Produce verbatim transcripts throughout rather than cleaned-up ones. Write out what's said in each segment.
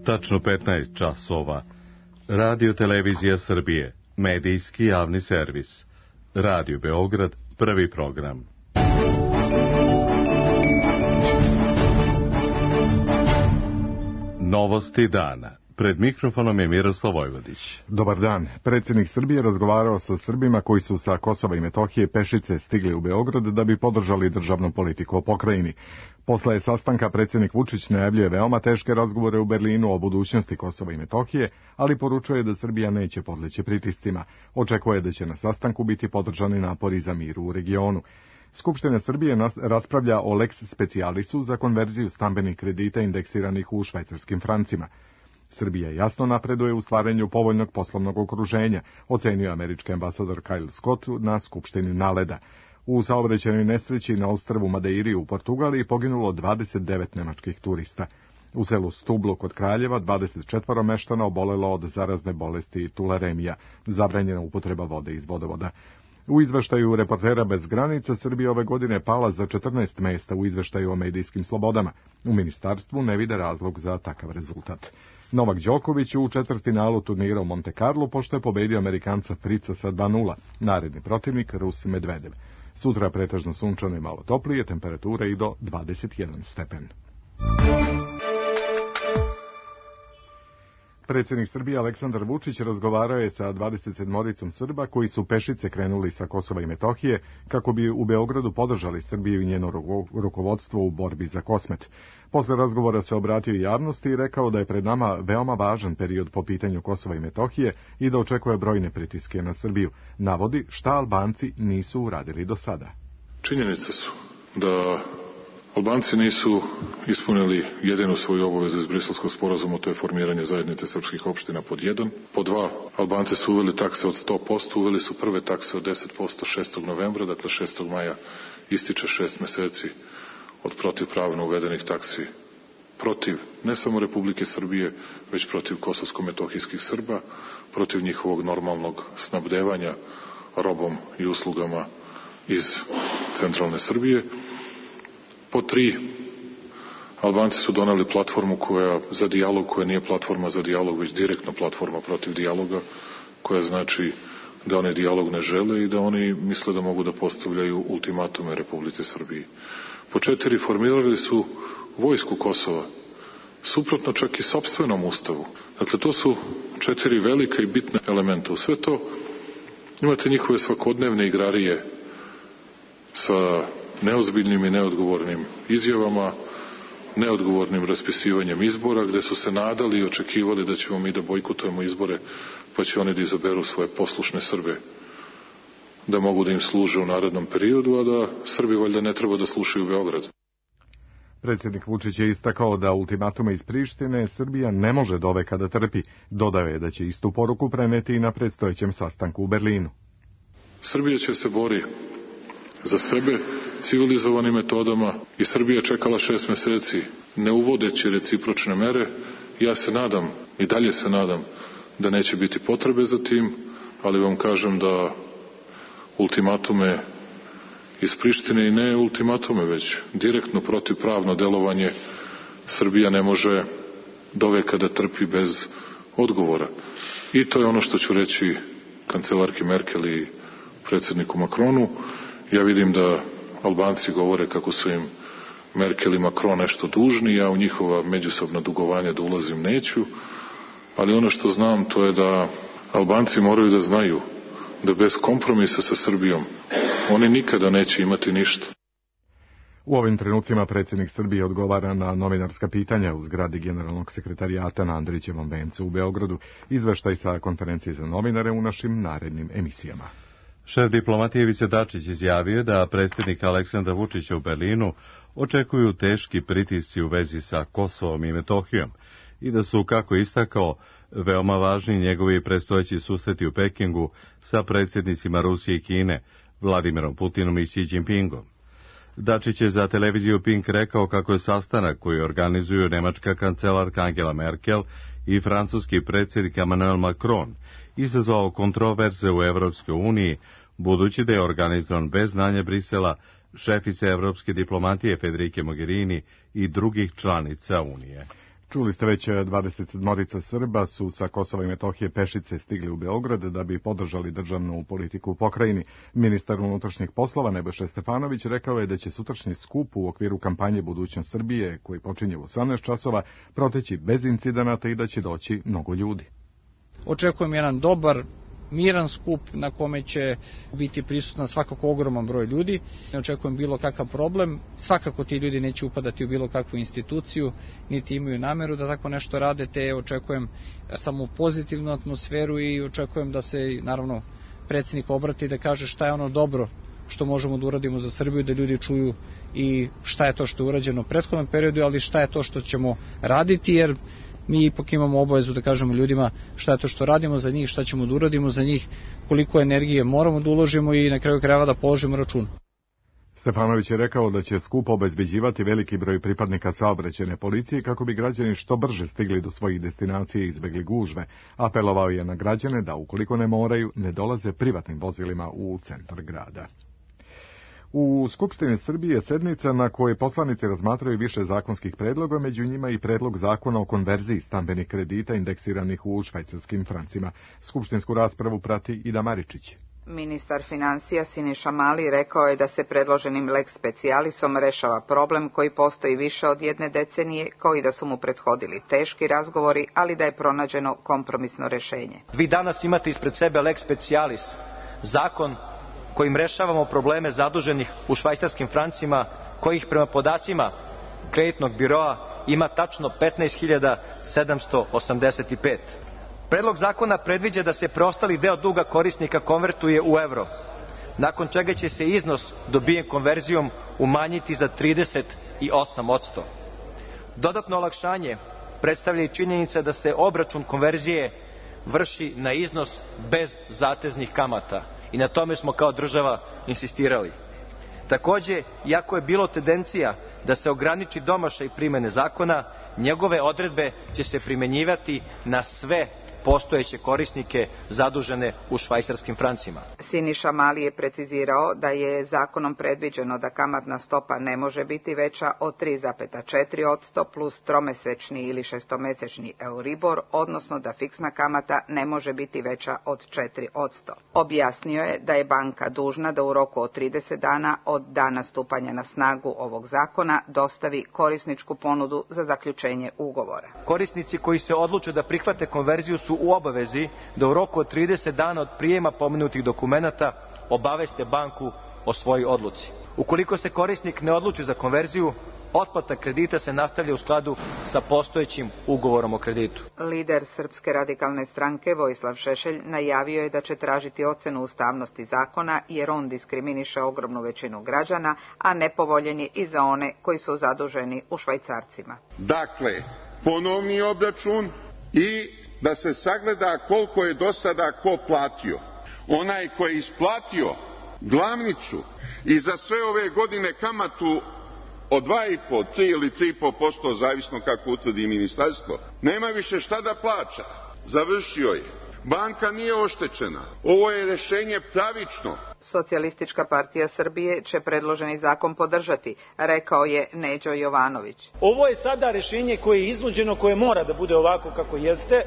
Tačno petnaest časova. Radio Televizija Srbije, medijski javni servis. Radio Beograd, prvi program. Novosti dana. Pred mikrofonom je Miroslav Vojvodić. Dobar dan. Predsjednik Srbije razgovarao sa Srbima koji su sa Kosova i Metohije pešice stigli u Beograd da bi podržali državnu politiku o pokrajini. Posle sastanka predsjednik Vučić najavljuje veoma teške razgovore u Berlinu o budućnosti Kosova i Metohije, ali poručuje da Srbija neće podleći pritiscima. Očekuje da će na sastanku biti podržani napori za mir u regionu. Skupština Srbije raspravlja o lex specialisu za konverziju stambenih kredita indeksiranih u švajcarskim francima. Srbija jasno napreduje u stvaranju povoljnog poslovnog okruženja, ocenio američki ambasador Kyle Scott na Skupštini Naleda. U saobraćajnoj nesreći na ostrvu Madeiri u Portugaliji poginulo dvadeset devet nemačkih turista. U selu Stublo kod Kraljeva dvadeset četvoro meštana obolelo od zarazne bolesti tularemija, zabranjena upotreba vode iz vodovoda. U izveštaju Reportera bez granica Srbija ove godine pala za četrnaest mesta u izveštaju o medijskim slobodama. U ministarstvu ne vide razlog za takav rezultat. Novak Đoković u četvrtfinalu turnira u Monte Carlo pošto je pobedio Amerikanca Frica sa dva nula. Naredni protivnik Rus Medvedev. Sutra pretežno sunčano i malo toplije, temperatura i do dvadeset jedan stepen. Predsjednik Srbije Aleksandar Vučić razgovarao je sa dvadeset sedmoricom Srba koji su pešice krenuli sa Kosova i Metohije kako bi u Beogradu podržali Srbiju i njeno rukovodstvo u borbi za Kosmet. Posle razgovora se obratio javnosti i rekao da je pred nama veoma važan period po pitanju Kosova i Metohije i da očekuje brojne pritiske na Srbiju. Navodi šta Albanci nisu uradili do sada. Činjenice su da Albanci nisu ispunili jedinu svoju obavezu iz Briselskog sporazuma, to je formiranje zajednice srpskih opština pod jedan. Pod dva, Albanci su uveli takse od sto posto, uveli su prve takse od deset posto šestog novembra, dakle šestog maja ističe šest meseci od protivpravno uvedenih taksi protiv ne samo Republike Srbije, već protiv kosovsko-metohijskih Srba, protiv njihovog normalnog snabdevanja robom i uslugama iz centralne Srbije. Po tri, Albanci su doneli platformu koja, za dijalog koja nije platforma za dijalog, već direktno platforma protiv dijaloga, koja znači da oni dijalog ne žele i da oni misle da mogu da postavljaju ultimatume Republici Srbiji. Po četiri, formirali su vojsku Kosova, suprotno čak i sopstvenom ustavu. Dakle, to su četiri velika i bitna elementa. U sve to imate njihove svakodnevne igrarije sa neozbiljnim i neodgovornim izjavama, neodgovornim raspisivanjem izbora, gde su se nadali i očekivali da ćemo mi da bojkotujemo izbore, pa će oni da izaberu svoje poslušne Srbe, da mogu da im služe u narednom periodu, a da Srbi valjda ne treba da slušaju Beograd. Predsjednik Vučić je istakao da ultimatume iz Prištine Srbija ne može doveka da trpi. Dodao je da će istu poruku preneti i na predstojećem sastanku u Berlinu. Srbija će se bori za sebe civilizovanim metodama i Srbija čekala šest meseci ne uvodeći recipročne mere. Ja se nadam i dalje se nadam da neće biti potrebe za tim, ali vam kažem da ultimatume iz Prištine i ne ultimatume, već direktno protivpravno delovanje Srbija ne može doveka da trpi bez odgovora. I to je ono što ću reći kancelarki Merkel i predsjedniku Makronu. Ja vidim da Albanci govore kako su im Merkel i Macron nešto dužni, ja u njihova međusobna dugovanja da ulazim neću, ali ono što znam to je da Albanci moraju da znaju da bez kompromisa sa Srbijom oni nikada neće imati ništa. U ovim trenucima predsjednik Srbije odgovara na novinarska pitanja u zgradi generalnog sekretarijata na Andrićevom vencu u Beogradu. Izveštaj sa konferencije za novinare u našim narednim emisijama. Šef diplomatije Ivica Dačić izjavio da predsjednik Aleksandra Vučića u Berlinu očekuju teški pritisci u vezi sa Kosovom i Metohijom i da su, kako istakao, veoma važni njegovi predstojeći susreti u Pekingu sa predsjednicima Rusije i Kine, Vladimirom Putinom i Xi Jinpingom. Dačić je za televiziju Pink rekao kako je sastanak koji organizuju nemačka kancelarka Angela Merkel i francuski predsjednik Emmanuel Macron izazvao kontroverze u Evropskoj uniji, budući da je organizovan bez znanja Brisela, šefice evropske diplomatije Federike Mogherini i drugih članica Unije. Čuli ste već dvadeset sedam Srba su sa Kosova i Metohije pešice stigli u Beograd da bi podržali državnu politiku u pokrajini. Ministar unutrašnjih poslova Nebojša Stefanović rekao je da će sutrašnji skup u okviru kampanje Budućnost Srbije, koji počinje u osamnaest časova, proteći bez incidenata i da će doći mnogo ljudi. Očekujem jedan dobar, miran skup na kome će biti prisutan svakako ogroman broj ljudi. Ne očekujem bilo kakav problem. Svakako ti ljudi neće upadati u bilo kakvu instituciju, niti imaju nameru da tako nešto rade, te očekujem samo pozitivnu atmosferu i očekujem da se, naravno, predsjednik obrati i da kaže šta je ono dobro što možemo da uradimo za Srbiju, da ljudi čuju i šta je to što je urađeno u prethodnom periodu, ali šta je to što ćemo raditi, jer mi ipak imamo obavezu da kažemo ljudima šta je to što radimo za njih, šta ćemo da uradimo za njih, koliko energije moramo da uložimo i na kraju krajeva da položimo račun. Stefanović je rekao da će skup obezbeđivati veliki broj pripadnika saobraćajne policije kako bi građani što brže stigli do svojih destinacija i izbegli gužve. Apelovao je na građane da ukoliko ne moraju, ne dolaze privatnim vozilima u centar grada. U Skupštini Srbije sednica na kojoj poslanici razmatraju više zakonskih predloga, među njima i predlog zakona o konverziji stambenih kredita indeksiranih u švajcarskim francima. Skupštinsku raspravu prati Ida Maričić. Ministar financija Siniša Mali rekao je da se predloženim lex specialisom rešava problem koji postoji više od jedne decenije, kao i da su mu prethodili teški razgovori, ali da je pronađeno kompromisno rešenje. Vi danas imate ispred sebe lex specialis, zakon kojim rešavamo probleme zaduženih u švajcarskim francima, kojih prema podacima kreditnog biroa ima tačno petnaest hiljada sedamsto osamdeset pet. Predlog zakona predviđa da se preostali deo duga korisnika konvertuje u evro, nakon čega će se iznos dobijen konverzijom umanjiti za trideset osam posto. Dodatno olakšanje predstavlja i činjenica da se obračun konverzije vrši na iznos bez zateznih kamata. I na tome smo kao država insistirali. Takođe, iako je bilo tendencija da se ograniči domašaj primene zakona, njegove odredbe će se primenjivati na sve postojeće korisnike zadužene u švajcarskim francima. Siniša Mali je precizirao da je zakonom predviđeno da kamatna stopa ne može biti veća od tri zarez četiri posto plus tromesečni ili šestomesečni Euribor, odnosno da fiksna kamata ne može biti veća od četiri posto. Objasnio je da je banka dužna da u roku od trideset dana od dana stupanja na snagu ovog zakona dostavi korisničku ponudu za zaključenje ugovora. Korisnici koji se odluče da prihvate konverziju su u obavezi da u roku od trideset dana od prijema pomenutih dokumenata obaveste banku o svojoj odluci. Ukoliko se korisnik ne odluči za konverziju, otplata kredita se nastavlja u skladu sa postojećim ugovorom o kreditu. Lider Srpske radikalne stranke Vojislav Šešelj najavio je da će tražiti ocenu ustavnosti zakona jer on diskriminiše ogromnu većinu građana, a nepovoljen je i za one koji su zaduženi u švajcarcima. Dakle, ponovni obračun i da se sagleda koliko je do sada ko platio. Onaj ko je isplatio glavnicu i za sve ove godine kamatu od dva i po, tri ili tri i po posto, zavisno kako utvrdi ministarstvo, nema više šta da plaća. Završio je. Banka nije oštećena. Ovo je rešenje pravično. Socijalistička partija Srbije će predloženi zakon podržati, rekao je Neđo Jovanović. Ovo je sada rešenje koje je iznuđeno, koje mora da bude ovako kako jeste.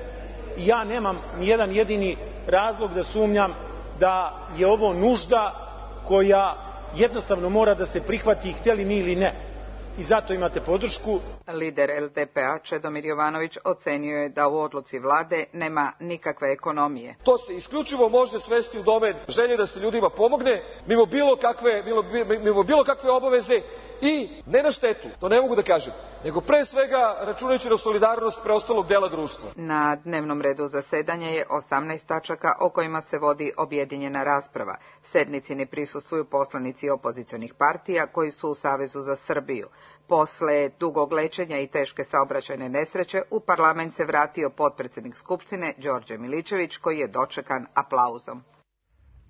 Ja nemam nijedan jedini razlog da sumnjam da je ovo nužda koja jednostavno mora da se prihvati, hteli mi ili ne. I zato imate podršku. Lider L D P A Čedomir Jovanović ocenio je da u odluci vlade nema nikakve ekonomije. To se isključivo može svesti u domen želje da se ljudima pomogne, mimo bilo kakve, mimo, mimo bilo kakve obaveze i ne na štetu, to ne mogu da kažem, nego pre svega računajući na solidarnost preostalog dela društva. Na dnevnom redu zasedanja je osamnaest tačaka o kojima se vodi objedinjena rasprava. Sednici ne prisustvuju poslanici opozicionih partija koji su u Savezu za Srbiju. Posle dugog lečenja i teške saobraćajne nesreće u parlament se vratio potpredsednik Skupštine Đorđe Milićević koji je dočekan aplauzom.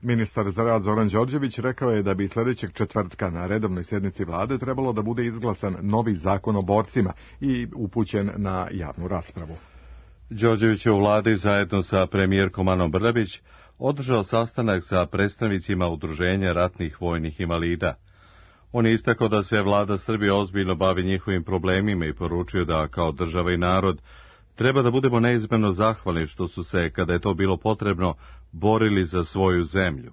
Ministar za rad Zoran Đorđević rekao je da bi sledećeg četvrtka na redovnoj sednici vlade trebalo da bude izglasan novi zakon o borcima i upućen na javnu raspravu. Đorđević je u vladi zajedno sa premijerkom Anom Brnabić održao sastanak sa predstavnicima Udruženja ratnih vojnih invalida. On je istakao da se vlada Srbije ozbiljno bavi njihovim problemima i poručio da, kao država i narod, treba da budemo neizmjerno zahvalni što su se, kada je to bilo potrebno, borili za svoju zemlju.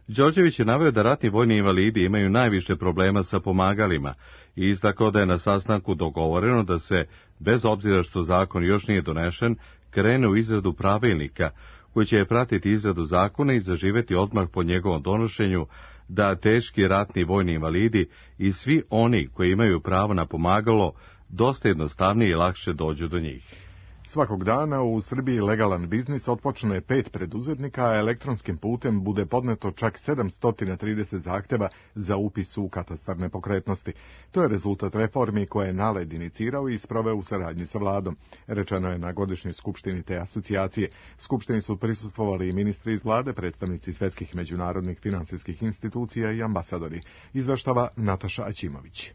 Đorđević je naveo da ratni vojni invalidi imaju najviše problema sa pomagalima i istakao da je na sastanku dogovoreno da se, bez obzira što zakon još nije donešen, krene u izradu pravilnika koji će pratiti izradu zakona i zaživeti odmah po njegovom donošenju, da teški ratni vojni invalidi i svi oni koji imaju pravo na pomagalo dosta jednostavnije i lakše dođu do njih. Svakog dana u Srbiji legalan biznis otpočne pet preduzetnika, a elektronskim putem bude podneto čak sedamsto trideset zahteva za upis u katastar nepokretnosti. To je rezultat reformi koje je NALED inicirao i sproveo u saradnji sa vladom. Rečeno je na godišnjoj skupštini te asocijacije. Skupštini su prisustvovali i ministri iz vlade, predstavnici svetskih međunarodnih finansijskih institucija i ambasadori. Izveštava Nataša Aćimović.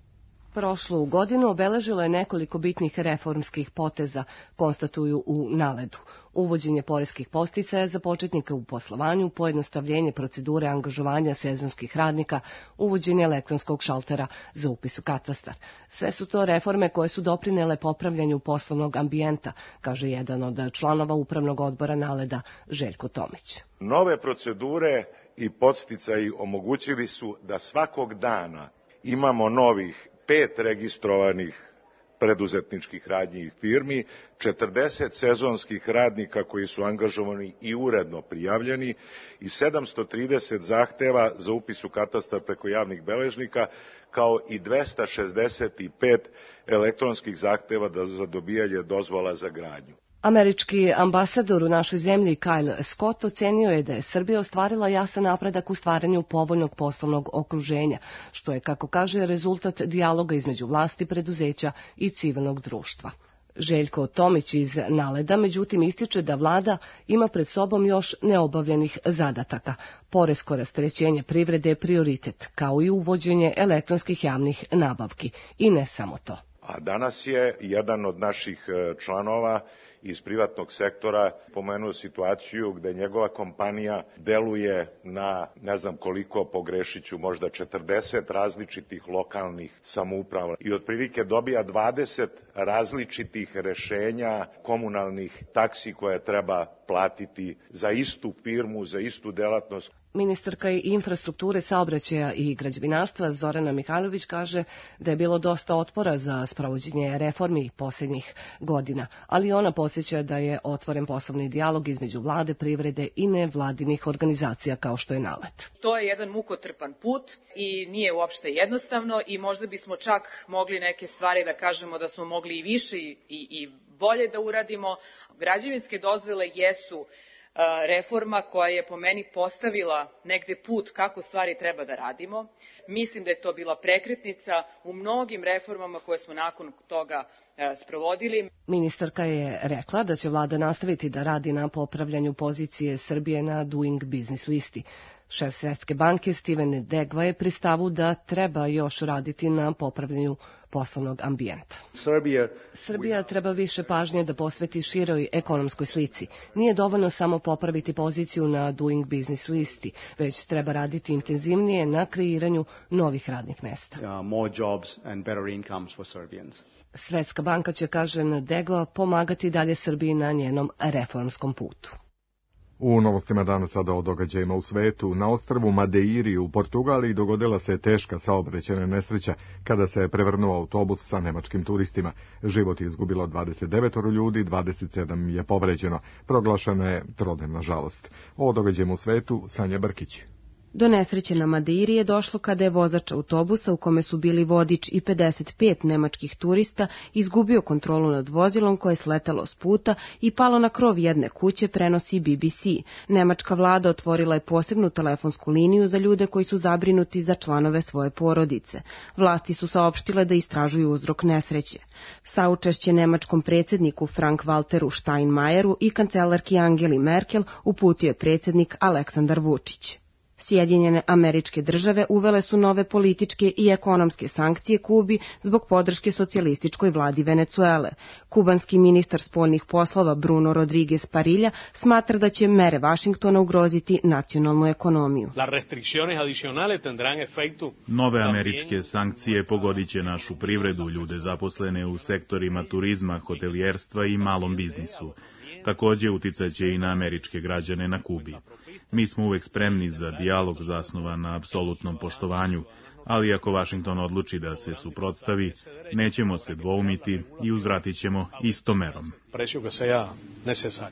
Prošlu godinu obeležilo je nekoliko bitnih reformskih poteza, konstatuju u NALED-u. Uvođenje poreskih podsticaja za početnike u poslovanju, pojednostavljenje procedure angažovanja sezonskih radnika, uvođenje elektronskog šaltera za upis u katastar. Sve su to reforme koje su doprinele popravljanju poslovnog ambijenta, kaže jedan od članova upravnog odbora NALED-a, Željko Tomić. Nove procedure i podsticaji omogućili su da svakog dana imamo novih pet registrovanih preduzetničkih radnji i firmi, četrdeset sezonskih radnika koji su angažovani i uredno prijavljeni i sedamsto trideset zahteva za upis u katastar preko javnih beležnika, kao i dvesta šezdeset pet elektronskih zahteva za dobijanje dozvola za gradnju. Američki ambasador u našoj zemlji Kyle Scott ocenio je da je Srbija ostvarila jasan napredak u stvaranju povoljnog poslovnog okruženja, što je, kako kaže, rezultat dijaloga između vlasti, preduzeća i civilnog društva. Željko Tomić iz NALED-a međutim ističe da vlada ima pred sobom još neobavljenih zadataka. Poresko rasterećenje privrede je prioritet, kao i uvođenje elektronskih javnih nabavki. I ne samo to. A danas je jedan od naših članova iz privatnog sektora pomenuo situaciju gde njegova kompanija deluje na, ne znam koliko, pogrešiću, možda četrdeset različitih lokalnih samouprava i otprilike dobija dvadeset različitih rešenja komunalnih taksi koje treba platiti za istu firmu, za istu delatnost. Ministarka infrastrukture, saobraćaja i građevinarstva Zorana Mihajlović kaže da je bilo dosta otpora za sprovođenje reformi posljednjih godina, ali ona podsjeća da je otvoren poslovni dijalog između vlade, privrede i nevladinih organizacija kao što je NALED. To je jedan mukotrpan put i nije uopšte jednostavno i možda bismo čak mogli neke stvari da kažemo da smo mogli i više i, i bolje da uradimo. Građevinske dozvole jesu reforma koja je po meni postavila negde put kako stvari treba da radimo. Mislim da je to bila prekretnica u mnogim reformama koje smo nakon toga sprovodili. Ministarka je rekla da će vlada nastaviti da radi na popravljanju pozicije Srbije na Doing Business listi. Šef Svetske banke Steven Degva je pri stavu da treba još raditi na popravljanju poslovnog ambijenta. Srbija treba više pažnje da posveti široj ekonomskoj slici. Nije dovoljno samo popraviti poziciju na Doing Business listi, već treba raditi intenzivnije na kreiranju novih radnih mesta. Svetska banka će, kaže Degva, pomagati dalje Srbiji na njenom reformskom putu. U novostima danas sada o događajima u svetu. Na ostrvu Madeiri u Portugaliji dogodila se teška saobraćajna nesreća kada se je prevrnuo autobus sa nemačkim turistima. Život je izgubilo dvadeset devet ljudi, dvadeset sedam je povređeno. Proglašena je trodnevna žalost. O događajima u svetu Sanja Brkić. Do nesreće na Madeiri je došlo kada je vozač autobusa u kome su bili vodič i pedeset pet nemačkih turista izgubio kontrolu nad vozilom koje je sletalo s puta i palo na krov jedne kuće, prenosi B B C. Nemačka vlada otvorila je posebnu telefonsku liniju za ljude koji su zabrinuti za članove svoje porodice. Vlasti su saopštile da istražuju uzrok nesreće. Saučešće nemačkom predsjedniku Frank-Walteru Steinmeieru i kancelarki Angeli Merkel uputio je predsjednik Aleksandar Vučić. Sjedinjene Američke Države uvele su nove političke i ekonomske sankcije Kubi zbog podrške socijalističkoj vladi Venecuele. Kubanski ministar spoljnih poslova Bruno Rodriguez Parilla smatra da će mere Vašingtona ugroziti nacionalnu ekonomiju. Nove američke sankcije pogodit će našu privredu, ljude zaposlene u sektorima turizma, hotelijerstva i malom biznisu. Takođe uticaće i na američke građane na Kubi. Mi smo uvek spremni za dijalog zasnovan na apsolutnom poštovanju, ali ako Vašington odluči da se suprotstavi, nećemo se dvoumiti i uzvratit ćemo istom merom.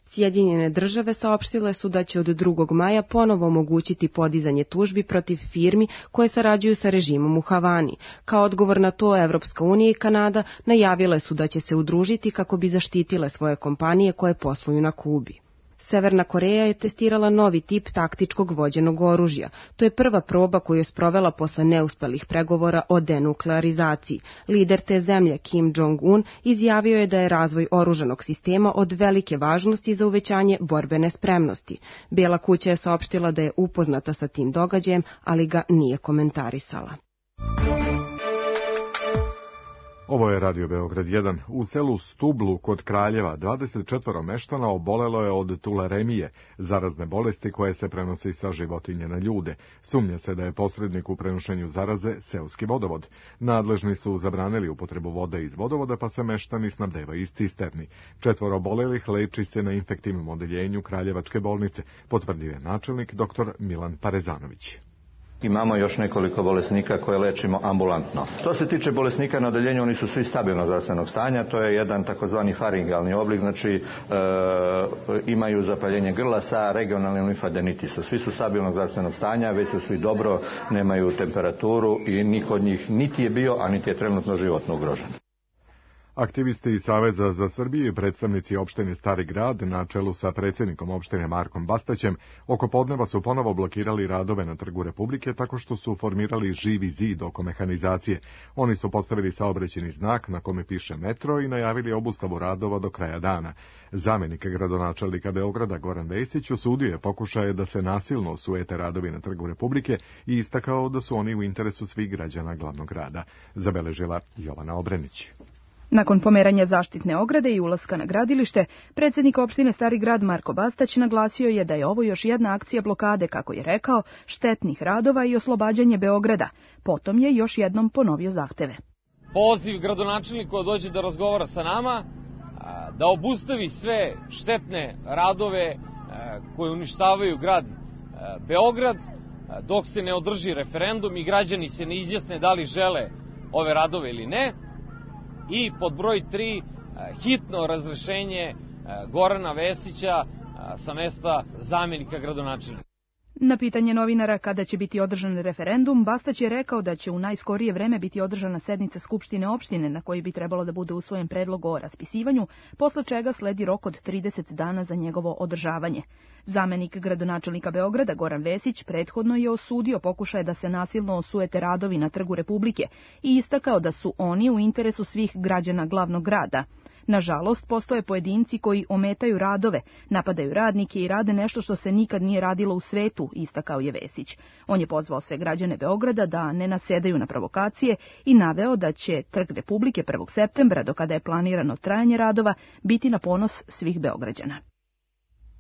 Sjedinjene Države saopštile su da će od drugog maja ponovo omogućiti podizanje tužbi protiv firmi koje sarađuju sa režimom u Havani. Kao odgovor na to, Evropska unija i Kanada najavile su da će se udružiti kako bi zaštitile svoje kompanije koje posluju na Kubi. Severna Koreja je testirala novi tip taktičkog vođenog oružja. To je prva proba koju je sprovela posle neuspelih pregovora o denuklearizaciji. Lider te zemlje, Kim Jong-un, izjavio je da je razvoj oružanog sistema od velike važnosti za uvećanje borbene spremnosti. Bela kuća je saopštila da je upoznata sa tim događajem, ali ga nije komentarisala. Ovo je Radio Beograd jedan. U selu Stublu kod Kraljeva dvadeset četvoro meštana obolelo je od tularemije, zarazne bolesti koje se prenose sa životinje na ljude. Sumnja se da je posrednik u prenošenju zaraze seoski vodovod. Nadležni su zabranili upotrebu vode iz vodovoda, pa se meštani snabdevaju iz cisterni. Četvoro obolelih leči se na infektivnom odeljenju Kraljevačke bolnice, potvrdio je načelnik dr Milan Parezanović. Imamo još nekoliko bolesnika koje lečimo ambulantno. Što se tiče bolesnika na odeljenju, oni su svi stabilnog zdravstvenog stanja, to je jedan takozvani faringalni oblik, znači e, imaju zapaljenje grla sa regionalnim limfadenitisom. Svi su stabilnog zdravstvenog stanja, već su svi dobro, nemaju temperaturu i niko od njih niti je bio, a niti je trenutno životno ugrožen. Aktivisti iz Saveza za Srbiju i predstavnici opštine Stari Grad na čelu sa predsjednikom opštine Markom Bastaćem oko podneva su ponovo blokirali radove na Trgu Republike tako što su formirali živi zid oko mehanizacije. Oni su postavili saobraćajni znak na kome piše metro i najavili obustavu radova do kraja dana. Zamenik gradonačelnika Beograda Goran Vesić osudio je pokušaje da se nasilno osujete radovi na Trgu Republike i istakao da su oni u interesu svih građana glavnog grada, zabeležila Jovana Obrenić. Nakon pomeranja zaštitne ograde i ulaska na gradilište, predsjednik opštine Stari Grad Marko Bastać naglasio je da je ovo još jedna akcija blokade, kako je rekao, štetnih radova i oslobađanje Beograda. Potom je još jednom ponovio zahteve. Poziv gradonačelniku da dođe da razgovara sa nama, da obustavi sve štetne radove koje uništavaju grad Beograd, dok se ne održi referendum i građani se ne izjasne da li žele ove radove ili ne. I pod broj tri, hitno razrešenje Gorana Vesića sa mesta zamjenika gradonačelnika. Na pitanje novinara kada će biti održan referendum, Bastać je rekao da će u najskorije vreme biti održana sednica Skupštine opštine na kojoj bi trebalo da bude usvojen predlog o raspisivanju, posle čega sledi rok od trideset dana za njegovo održavanje. Zamenik gradonačelnika Beograda Goran Vesić prethodno je osudio pokušaje da se nasilno osujete radovi na Trgu Republike i istakao da su oni u interesu svih građana glavnog grada. Nažalost, postoje pojedinci koji ometaju radove, napadaju radnike i rade nešto što se nikad nije radilo u svetu, istakao je Vesić. On je pozvao sve građane Beograda da ne nasedaju na provokacije i naveo da će Trg Republike prvog septembra, do kada je planirano trajanje radova, biti na ponos svih Beograđana.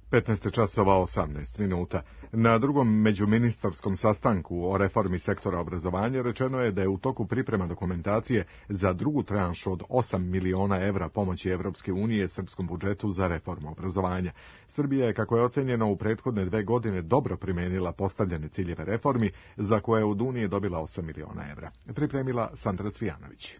petnaest časova osamnaest minuta. Na drugom međuministarskom sastanku o reformi sektora obrazovanja rečeno je da je u toku priprema dokumentacije za drugu tranšu od osam miliona evra pomoći Evropske unije srpskom budžetu za reformu obrazovanja. Srbija je, kako je ocenjeno, u prethodne dve godine dobro primenila postavljene ciljeve reformi, za koje je od Unije dobila osam miliona evra. Pripremila Sandra Cvijanović.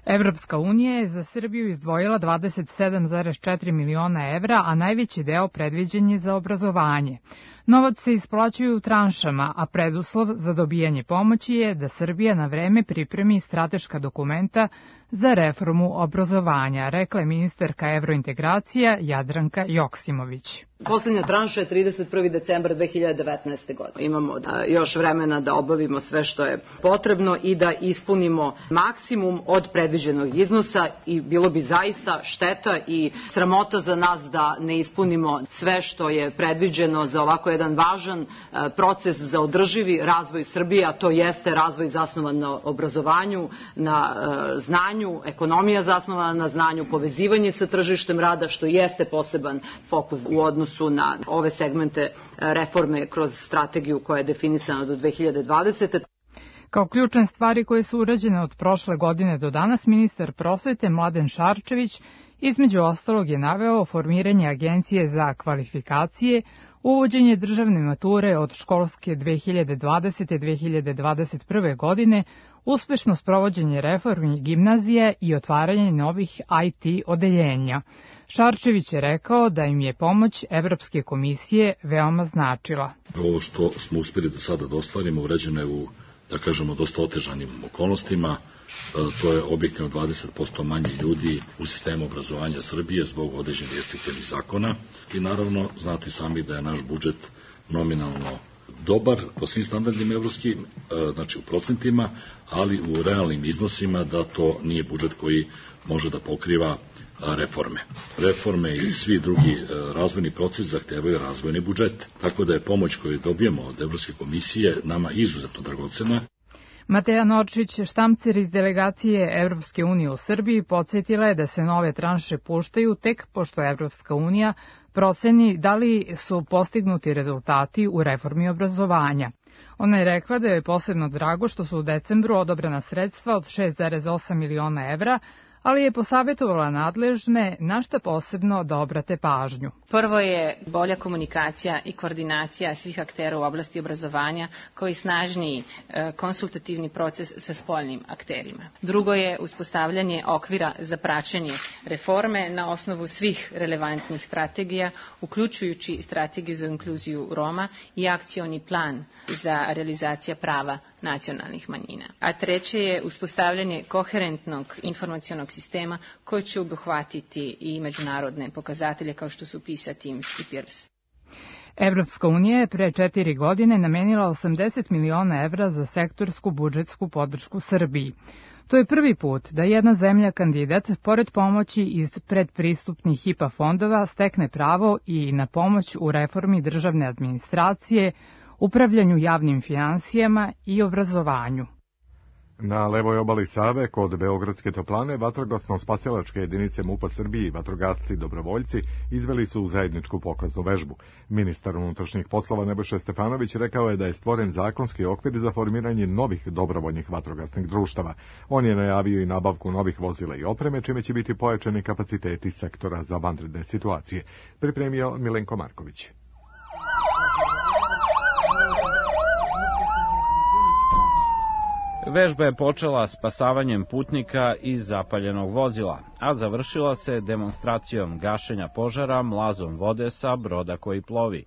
Evropska unija je za Srbiju izdvojila dvadeset sedam zarez četiri miliona evra, a najveći deo predviđen je za obrazovanje. Novac se isplaćuje u tranšama, a preduslov za dobijanje pomoći je da Srbija na vreme pripremi strateška dokumenta za reformu obrazovanja, rekla je ministarka evrointegracija Jadranka Joksimović. Poslednja tranša je trideset prvog decembra dve hiljade devetnaeste. godine. Imamo još vremena da obavimo sve što je potrebno i da ispunimo maksimum od predviđenog iznosa i bilo bi zaista šteta i sramota za nas da ne ispunimo sve što je predviđeno za ovako jedan važan proces za održivi razvoj Srbije, a to jeste razvoj zasnovan na obrazovanju, na znanju, ekonomija zasnovana na znanju, povezivanje sa tržištem rada, što jeste poseban fokus u odnosu na ove segmente reforme kroz strategiju koja je definisana do dve hiljade dvadesete. Kao ključne stvari koje su urađene od prošle godine do danas, ministar prosvete Mladen Šarčević između ostalog je naveo formiranje Agencije za kvalifikacije, uvođenje državne mature od školske dve hiljade dvadesete do dve hiljade dvadeset prve. godine, uspešno sprovođenje reformi gimnazije i otvaranje novih I T odeljenja. Šarčević je rekao da im je pomoć Evropske komisije veoma značila. Ovo što smo uspjeli do sada da ostvarimo urađeno je u, da kažemo, dosta otežanim okolnostima. To je objektivno dvadeset posto manje ljudi u sistemu obrazovanja Srbije zbog određenih restriktivnih zakona i naravno znate sami da je naš budžet nominalno dobar po svim standardima evropskim, znači u procentima, ali u realnim iznosima da to nije budžet koji može da pokriva reforme. Reforme i svi drugi razvojni proces zahtevaju razvojni budžet, tako da je pomoć koju dobijemo od Evropske komisije nama izuzetno dragocena. Mateja Norčić, štamcer iz delegacije Evropske unije u Srbiji, podsjetila je da se nove tranše puštaju tek pošto Evropska unija proceni da li su postignuti rezultati u reformi obrazovanja. Ona je rekla da je posebno drago što su u decembru odobrena sredstva od šest zarez osam miliona evra, ali je posavjetovala nadležne na šta posebno da obrate pažnju. Prvo je bolja komunikacija i koordinacija svih aktera u oblasti obrazovanja, kao i snažniji konsultativni proces sa spoljnim akterima. Drugo je uspostavljanje okvira za praćenje reforme na osnovu svih relevantnih strategija, uključujući strategiju za inkluziju Roma i akcioni plan za realizacija prava nacionalnih manjina. A treće je uspostavljanje koherentnog informacionog sistema koji će obuhvatiti i međunarodne pokazatelje kao što su PISA, TIMSS i PIRLS. Evropska unija je pre četiri godine namenila osamdeset miliona evra za sektorsku budžetsku podršku Srbiji. To je prvi put da jedna zemlja kandidat, pored pomoći iz predpristupnih I P A fondova, stekne pravo i na pomoć u reformi državne administracije, upravljanju javnim finansijama i obrazovanju. Na levoj obali Save, kod Beogradske toplane, vatrogasno-spasilačke jedinice MUP-a Srbije i vatrogasci dobrovoljci izveli su zajedničku pokaznu vežbu. Ministar unutrašnjih poslova Nebojša Stefanović rekao je da je stvoren zakonski okvir za formiranje novih dobrovoljnih vatrogasnih društava. On je najavio i nabavku novih vozila i opreme, čime će biti pojačani kapaciteti sektora za vanredne situacije. Pripremio Milenko Marković. Vežba je počela spasavanjem putnika iz zapaljenog vozila, a završila se demonstracijom gašenja požara mlazom vode sa broda koji plovi.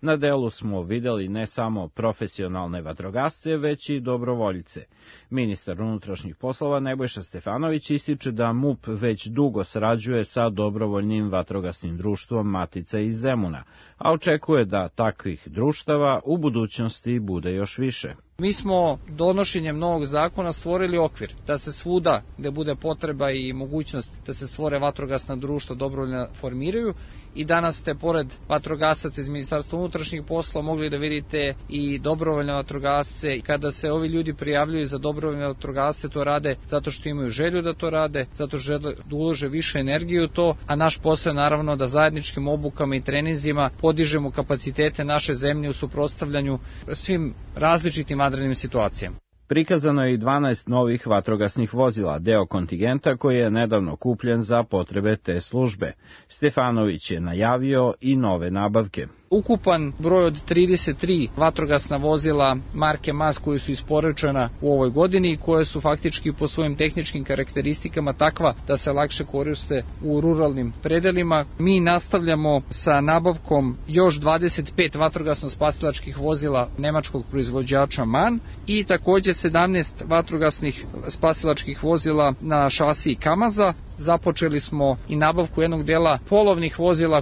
Na delu smo videli ne samo profesionalne vatrogasce, već i dobrovoljice. Ministar unutrašnjih poslova Nebojša Stefanović ističe da MUP već dugo sarađuje sa dobrovoljnim vatrogasnim društvom Matica iz Zemuna, a očekuje da takvih društava u budućnosti bude još više. Mi smo donošenjem novog zakona stvorili okvir da se svuda gde bude potreba i mogućnost da se stvore vatrogasna društva dobrovoljno formiraju i danas ste pored vatrogasaca iz Ministarstva unutrašnjih poslova mogli da vidite i dobrovoljne vatrogasce. Kada se ovi ljudi prijavljuju za dobrovoljne vatrogasce, to rade zato što imaju želju da to rade, zato što žele da ulože više energije u to, a naš posao je naravno da zajedničkim obukama i treninzima podižemo kapacitete naše zemlje u suprotstavljanju svim različitim vanrednim situacijama. Prikazano je i dvanaest novih vatrogasnih vozila, deo kontingenta koji je nedavno kupljen za potrebe te službe. Stefanović je najavio i nove nabavke. Ukupan broj od trideset tri vatrogasna vozila marke M A S koji su isporučena u ovoj godini i koje su faktički po svojim tehničkim karakteristikama takva da se lakše koriste u ruralnim predelima. Mi nastavljamo sa nabavkom još dvadeset pet vatrogasno-spasilačkih vozila nemačkog proizvođača MAN i takođe sedamnaest vatrogasnih spasilačkih vozila na šasiji Kamaza. Započeli smo i nabavku jednog dela polovnih vozila.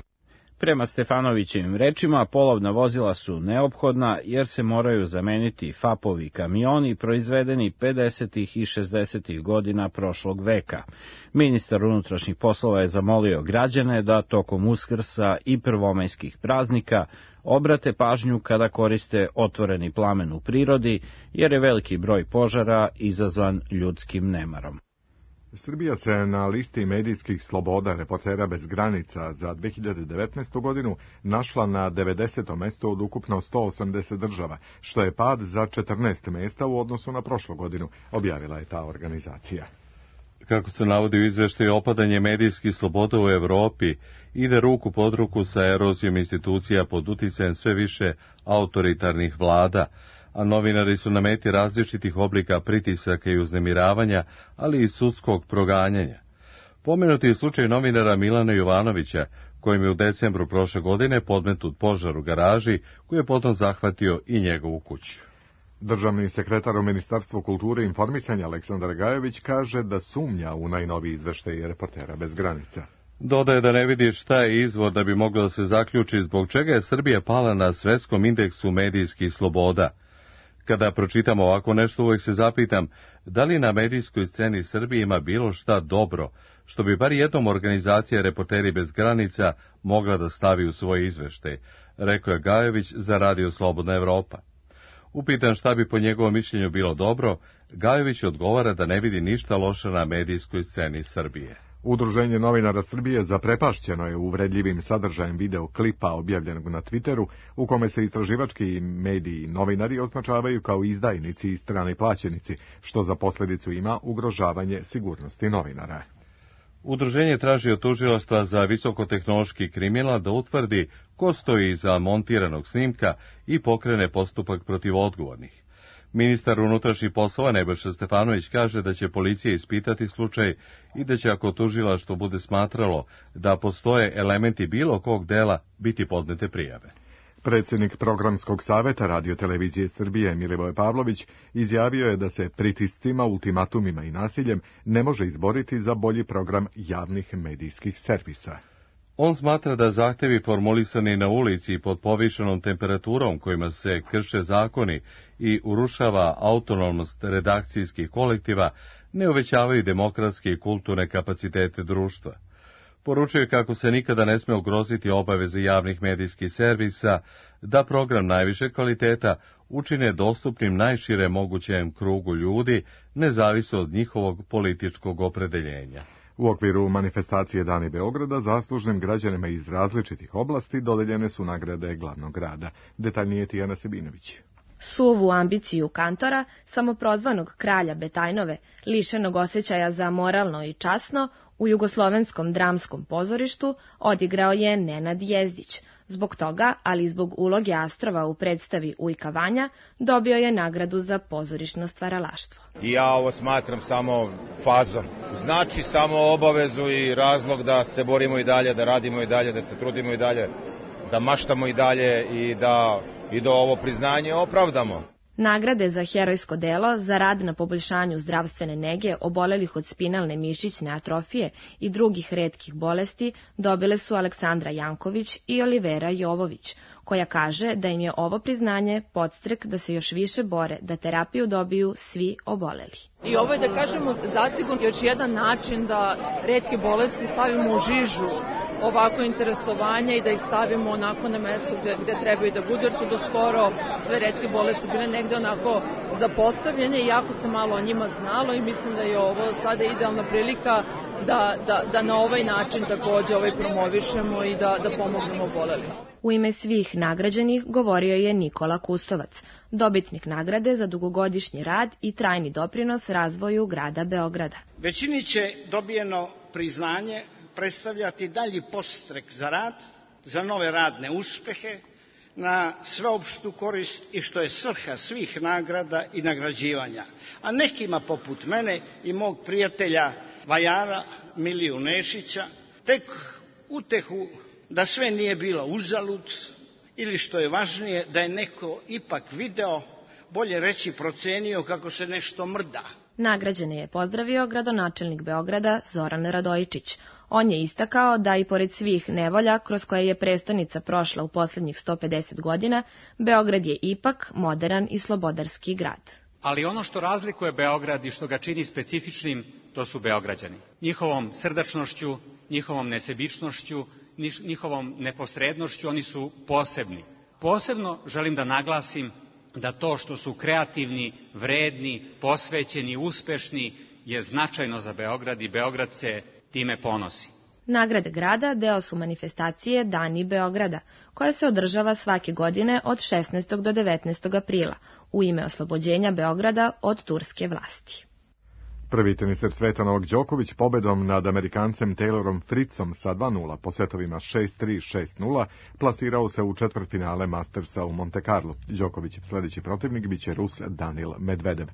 Prema Stefanovićevim rečima, polovna vozila su neophodna jer se moraju zameniti fapovi kamioni proizvedeni pedesetih i šezdesetih godina prošlog veka. Ministar unutrašnjih poslova je zamolio građane da tokom Uskrsa i prvomajskih praznika obrate pažnju kada koriste otvoreni plamen u prirodi, jer je veliki broj požara izazvan ljudskim nemarom. Srbija se na listi medijskih sloboda Reportera bez granica za dve hiljade devetnaestu. godinu našla na devedesetom mestu od ukupno sto osamdeset država, što je pad za četrnaest mesta u odnosu na prošlu godinu, objavila je ta organizacija. Kako se navodi u izveštaju, opadanje medijskih sloboda u Evropi ide ruku pod ruku sa erozijom institucija pod uticajem sve više autoritarnih vlada, a novinari su na meti različitih oblika pritisaka i uznemiravanja, ali i sudskog proganjanja. Pomenuti je slučaj novinara Milana Jovanovića, kojim je u decembru prošle godine podmetnut požar u garaži, koji je potom zahvatio i njegovu kuću. Državni sekretar u Ministarstvu kulture i informisanja Aleksandar Gajović kaže da sumnja u najnoviji izveštaj Reportera bez granica. Dodaje da ne vidi šta je izvor da bi moglo da se zaključi zbog čega je Srbija pala na svetskom indeksu medijskih sloboda. Kada pročitam ovako nešto, uvek se zapitam da li na medijskoj sceni Srbije ima bilo šta dobro, što bi bar jednom organizacija Reporteri bez granica mogla da stavi u svoj izveštaj, rekao je Gajović za Radio Slobodna Evropa. Upitan šta bi po njegovom mišljenju bilo dobro, Gajović odgovara da ne vidi ništa loše na medijskoj sceni Srbije. Udruženje novinara Srbije zaprepašćeno je uvredljivim sadržajem videoklipa objavljenog na Twitteru, u kome se istraživački mediji i novinari označavaju kao izdajnici i strani plaćenici, što za posljedicu ima ugrožavanje sigurnosti novinara. Udruženje traži od tužilaštva za visokotehnološki kriminal da utvrdi ko stoji iza montiranog snimka i pokrene postupak protiv odgovornih. Ministar unutrašnjih poslova Nebojša Stefanović kaže da će policija ispitati slučaj i da će, ako tužilaštvo bude smatralo da postoje elementi bilo kog dela, biti podnete prijave. Predsjednik Programskog saveta Radio-televizije Srbije Milivoje Pavlović izjavio je da se pritiscima, ultimatumima i nasiljem ne može izboriti za bolji program javnih medijskih servisa. On smatra da zahtevi formulisani na ulici i pod povišenom temperaturom kojima se krše zakoni i urušava autonomnost redakcijskih kolektiva ne uvećavaju demokratske i kulturne kapacitete društva. Poručuje kako se nikada ne sme ugroziti obaveze javnih medijskih servisa da program najviše kvaliteta učine dostupnim najšire mogućem krugu ljudi, nezavisno od njihovog političkog opredeljenja. U okviru manifestacije Dani Beograda zaslužnim građanima iz različitih oblasti dodeljene su nagrade glavnog grada. Detaljnije Tijana Sebinović. Suvu ambiciju kantora, samoprozvanog kralja Betajnove, lišenog osjećaja za moralno i časno, u Jugoslovenskom dramskom pozorištu odigrao je Nenad Jezdić. Zbog toga, ali i zbog uloge Astrova u predstavi Ujka Vanja, dobio je nagradu za pozorišno stvaralaštvo. I ja ovo smatram samo fazom. Znači samo obavezu i razlog da se borimo i dalje, da radimo i dalje, da se trudimo i dalje, da maštamo i dalje i da i da ovo priznanje opravdamo. Nagrade za herojsko delo, za rad na poboljšanju zdravstvene nege obolelih od spinalne mišićne atrofije i drugih retkih bolesti dobile su Aleksandra Janković i Olivera Jovović, koja kaže da im je ovo priznanje podstrek da se još više bore da terapiju dobiju svi oboleli. I ovo je, da kažemo, zasigurno još jedan način da retke bolesti stavimo u žižu ovako interesovanja i da ih stavimo onako na mesto gde, gde trebaju da budu, jer su do skoro sve retke bolesti bile negde onako zapostavljene i jako se malo o njima znalo i mislim da je ovo sada idealna prilika da, da, da na ovaj način takođe ovaj promovišemo i da, da pomognemo obolelima. U ime svih nagrađenih govorio je Nikola Kusovac, dobitnik nagrade za dugogodišnji rad i trajni doprinos razvoju grada Beograda. Većini će dobijeno priznanje predstavljati dalji podstrek za rad, za nove radne uspehe, na sveopštu korist i što je svrha svih nagrada i nagrađivanja. A nekima poput mene i mog prijatelja vajara Miliju Nešića tek utehu da sve nije bilo uzalud ili što je važnije da je neko ipak video, bolje reći procenio kako se nešto mrda. Nagrađene je pozdravio gradonačelnik Beograda Zoran Radojičić. On je istakao da i pored svih nevolja kroz koje je prestonica prošla u poslednjih sto pedeset godina, Beograd je ipak moderan i slobodarski grad. Ali ono što razlikuje Beograd i što ga čini specifičnim, to su Beograđani. Njihovom srdačnošću, njihovom nesebičnošću, njihovom neposrednošću, oni su posebni. Posebno želim da naglasim da to što su kreativni, vredni, posvećeni, uspešni je značajno za Beograd i Beograd se time ponosi. Nagrade grada deo su manifestacije Dani Beograda, koja se održava svake godine od šesnaestog do devetnaestog aprila u ime oslobođenja Beograda od turske vlasti. Prvi teniser sveta Novak Đoković pobedom nad Amerikancem Taylorom Fritzom sa dva nula po setovima šest tri šest nula plasirao se u četvrtfinale Mastersa u Monte Carlo. Đokovićev sledeći protivnik biće Rus Danil Medvedev.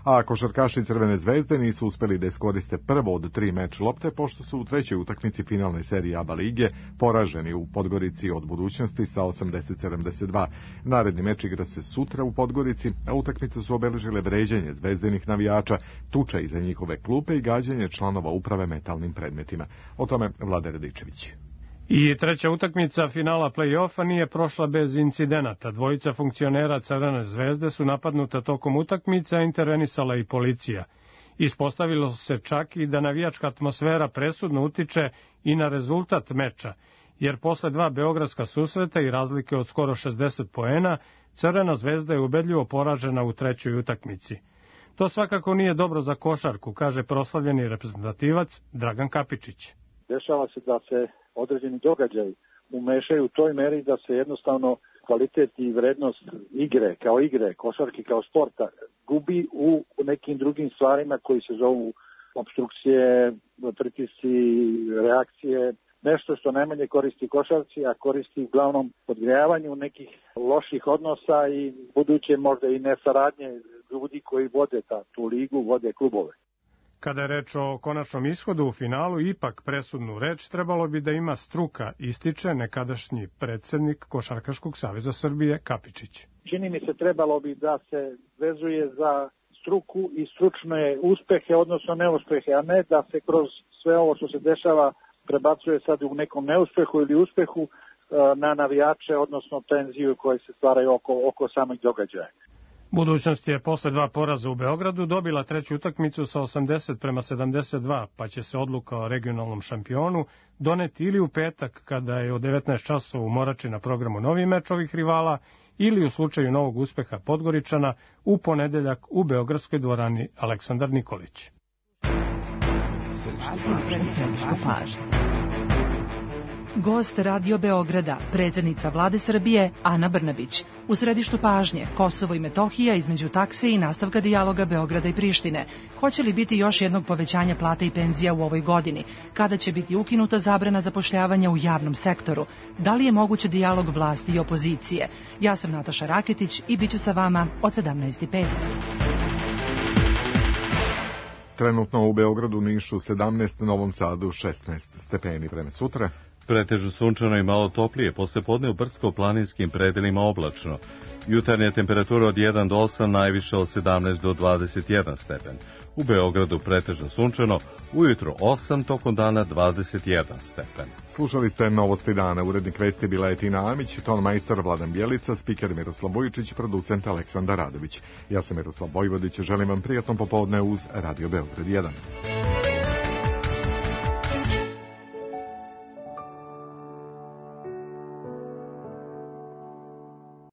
A košarkaši Crvene zvezde nisu uspeli da iskoriste prvo od tri meč lopte, pošto su u trećoj utakmici finalne serije A B A lige poraženi u Podgorici od Budućnosti sa osamdeset sedamdeset dva. Naredni meč igra se sutra u Podgorici, a utakmice su obeležile vređanje zvezdinih navijača, tuča iza njihove klupe i gađanje članova uprave metalnim predmetima. O tome Vlada Radičević. I treća utakmica finala play-offa nije prošla bez incidenata. Dvojica funkcionera Crvene zvezde su napadnuta tokom utakmice, a intervenisala i policija. Ispostavilo se čak i da navijačka atmosfera presudno utiče i na rezultat meča, jer posle dva beogradska susreta i razlike od skoro šezdeset poena, Crvena zvezda je ubedljivo poražena u trećoj utakmici. To svakako nije dobro za košarku, kaže proslavljeni reprezentativac Dragan Kapičić. Dešava se da se određeni događaj umešaju u toj meri da se jednostavno kvalitet i vrednost igre, kao igre, košarke kao sporta, gubi u nekim drugim stvarima koji se zovu obstrukcije, pritisci, reakcije, nešto što najmanje koristi košarci, a koristi uglavnom podgrejavanju nekih loših odnosa i buduće možda i nesaradnje ljudi koji vode ta, tu ligu, vode klubove. Kada je reč o konačnom ishodu u finalu, ipak presudnu reč trebalo bi da ima struka, ističe nekadašnji predsednik Košarkaškog saveza Srbije Kapičić. Čini mi se trebalo bi da se vezuje za struku i stručne uspehe, odnosno neuspehe, a ne da se kroz sve ovo što se dešava prebacuje sad u nekom neuspehu ili uspehu na navijače, odnosno tenziju koje se stvaraju oko, oko samih događaja. Budućnost je posle dva poraza u Beogradu dobila treću utakmicu sa osamdeset prema sedamdeset dva, pa će se odluka o regionalnom šampionu doneti ili u petak kada je od devetnaest časova u Morači na programu novi meč ovih rivala, ili u slučaju novog uspeha Podgoričana u ponedeljak u beogradskoj dvorani Aleksandar Nikolić. Gost Radio Beograda, predsjednica Vlade Srbije Ana Brnabić. U središtu pažnje Kosovo i Metohija između takse i nastavka dijaloga Beograda i Prištine. Hoće li biti još jednog povećanja plata i penzija u ovoj godini? Kada će biti ukinuta zabrana zapošljavanja u javnom sektoru? Da li je moguće dijalog vlasti i opozicije? Ja sam Nataša Raketić i bit ću sa vama od sedamnaest i pet. Trenutno u Beogradu, Nišu sedamnaest, Novom Sadu šesnaest stepeni. Vreme sutra. Pretežno sunčano i malo toplije, posle podne u brdsko-planinskim predelima oblačno. Jutarnja temperatura od jedan do osam, najviše od sedamnaest do dvadeset jedan stepen. U Beogradu pretežno sunčano, ujutro osam, tokom dana dvadeset jedan stepen. Slušali ste Novosti dana, urednik vesti bila je Tina Amić, ton majstor Vladan Bjelica, spiker Miroslav Bojičić, producent Aleksandar Radović. Ja sam Miroslav Vojvodić, želim vam prijatno popodne uz Radio Beograd jedan.